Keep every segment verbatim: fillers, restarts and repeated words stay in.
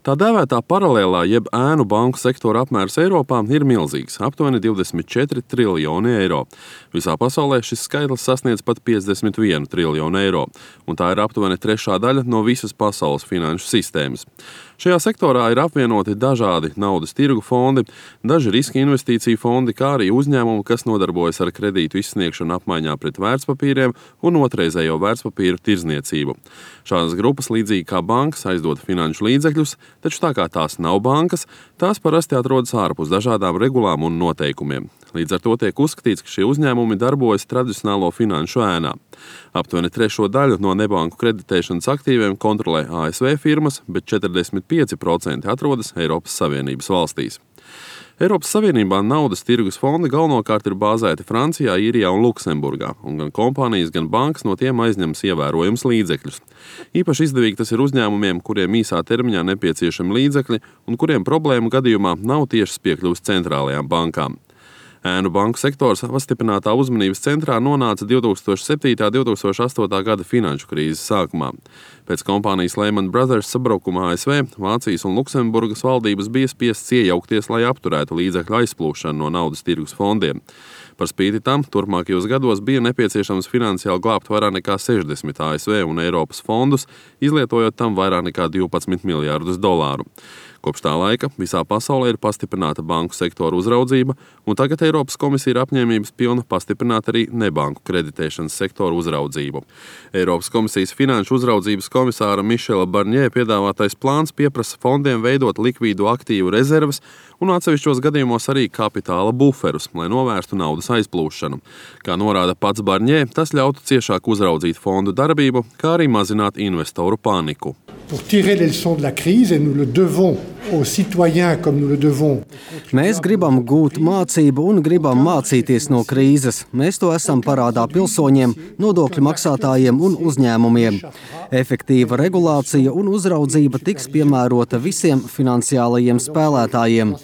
Tā dēvētā paralēlā jeb ēnu banku sektora apmērs Eiropā ir milzīgs – aptuveni divdesmit četri triljoni eiro. Visā pasaulē šis skaitlis sasniedz pat piecdesmit vienu triljonu eiro, un tā ir aptuveni trešā daļa no visas pasaules finanšu sistēmas. Šajā sektorā ir apvienoti dažādi naudas tirgu fondi, daži riska investīciju fondi, kā arī uzņēmumi, kas nodarbojas ar kredītu izsniegšanu apmaiņā pret vērtspapīriem un otrreizējo vērtspapīru tirdzniecību. Šādas grupas, līdzīgi kā bankas, aizdod finanšu līdzekļus, taču tā kā tās nav bankas, tās parasti atrodas ārpus dažādām regulām un noteikumiem. Līdz ar to tiek uzskatīts, ka šie uzņēmumi darbojas tradicionālo finanšu ēnā. Aptuveni trešo daļu no nebanku kreditēšanas aktīviem kontrolē A S V firmas, bet četrdesmit pieci procenti atrodas Eiropas Savienības valstīs. Eiropas Savienībā naudas tirgus fondi galvenokārt ir bāzēti Francijā, Īrijā un Luksemburgā, un gan kompānijas, gan bankas no tiem aizņems ievērojams līdzekļus. Īpaši izdevīgi tas ir uzņēmumiem, kuriem īsā termiņā nepieciešami līdzekļi un kuriem problēmu gadījumā nav tiešas piekļuves centrālajām bankām. Ēnu banku sektors pastiprinātā uzmanības centrā nonāca divi tūkstoši septītā un divi tūkstoši astotā gada finanšu krīzes sākumā. Pēc kompānijas Lehman Brothers sabrukuma A S V, Vācijas un Luksemburgas valdības bija spiestas iejaukties, lai apturētu līdzekļu aizplūšanu no naudas tirgus fondiem. Par spīti tam, turpmākajos gados bija nepieciešams finansiāli glābt vairāk nekā sešdesmit A S V un Eiropas fondus, izlietojot tam vairāk nekā divpadsmit miljārdus dolāru. Kopš tā laika visā pasaulē ir pastiprināta banku sektora uzraudzība, un tagad Eiropas komisija ir apņēmības pilna pastiprināt arī nebanku kreditēšanas sektoru uzraudzību. Eiropas komisijas finanšu uzraudzības komisāra Mišela Barņē piedāvātais plāns pieprasa fondiem veidot likvīdu aktīvu rezerves un atsevišķos gadījumos arī kapitāla buferus, lai novērstu naudas aizplūšanu. Kā norāda pats Barņē, tas ļautu ciešāk uzraudzīt fondu darbību, kā arī mazināt investoru paniku. Pour tirer les leçons de la crise, et nous le devons aux citoyens comme nous le devons. Mēs gribam gūt mācību un gribam mācīties no krīzes. Mēs to esam parādā pilsoņiem, nodokļu maksātājiem un uzņēmumiem. Efektīva regulācija un uzraudzība tiks piemērota visiem finansiālajiem spēlētājiem.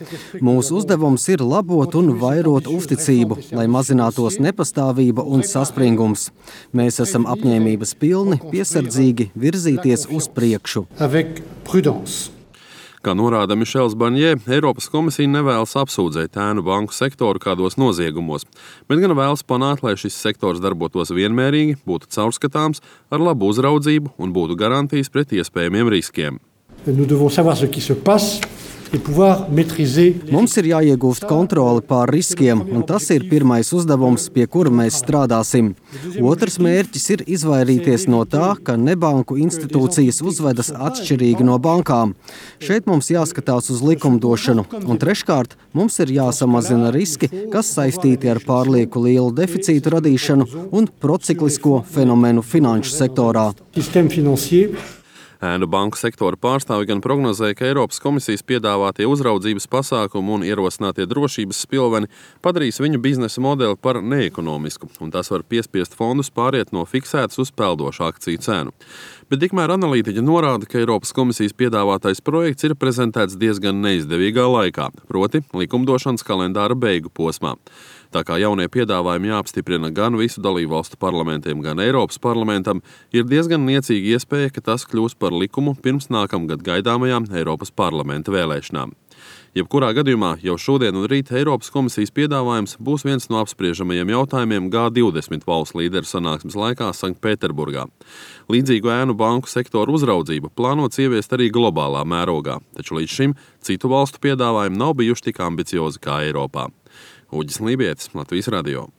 Mūsu uzdevums ir labot un vairot uzticību, lai mazinātos nepastāvība un saspringums. Mēs esam apņēmības pilni, piesardzīgi virzīties uz priekšu. Avec prudence. Kā norāda Mišels Barņē, Eiropas komisija nevēlas apsūdzēt ēnu banku sektoru kādos noziegumos, bet gan vēlas panākt, lai šis sektors darbotos vienmērīgi, būtu caurskatāms, ar labu uzraudzību un būtu garantijas pret iespējamiem riskiem. Nous devons savoir ce qui se passe. Mums ir jāiegūst kontroli pār riskiem, un tas ir pirmais uzdevums, pie kura mēs strādāsim. Otrs mērķis ir izvairīties no tā, ka nebanku institūcijas uzvedas atšķirīgi no bankām. Šeit mums jāskatās uz likumdošanu, un treškārt mums ir jāsamazina riski, kas saistīti ar pārlieku lielu deficītu radīšanu un prociklisko fenomenu finanšu sektorā. Ēnu banku sektora pārstāvi gan prognozēja, ka Eiropas komisijas piedāvātie uzraudzības pasākumi un ierosinātie drošības spilveni padarīs viņu biznesa modeli par neekonomisku, un tas var piespiest fondus pāriet no fiksētas uz peldošu akciju cenu. Bet tikmēr analītiķi norāda, ka Eiropas komisijas piedāvātais projekts ir prezentēts diezgan neizdevīgā laikā, proti likumdošanas kalendāra beigu posmā. Tā kā jaunie piedāvājumi jāapstiprina gan visu dalībvalstu parlamentiem, gan Eiropas parlamentam, ir diezgan niecīga iespēja, ka tas kļūs par likumu pirms nākamgad gaidāmajām Eiropas parlamenta vēlēšanām. Jebkurā gadījumā jau šodien un rīt Eiropas komisijas piedāvājums būs viens no apspriežamajiem jautājumiem G divdesmit valstu līderu sanāksmes laikā Sanktpēterburgā. Līdzīgu ēnu banku sektoru uzraudzību plānots ieviest arī globālā mērogā, taču līdz šim citu valstu piedāvājumi nav bijuši tik ambiciozi kā Eiropā. Uģis Lībietis, Latvijas radio.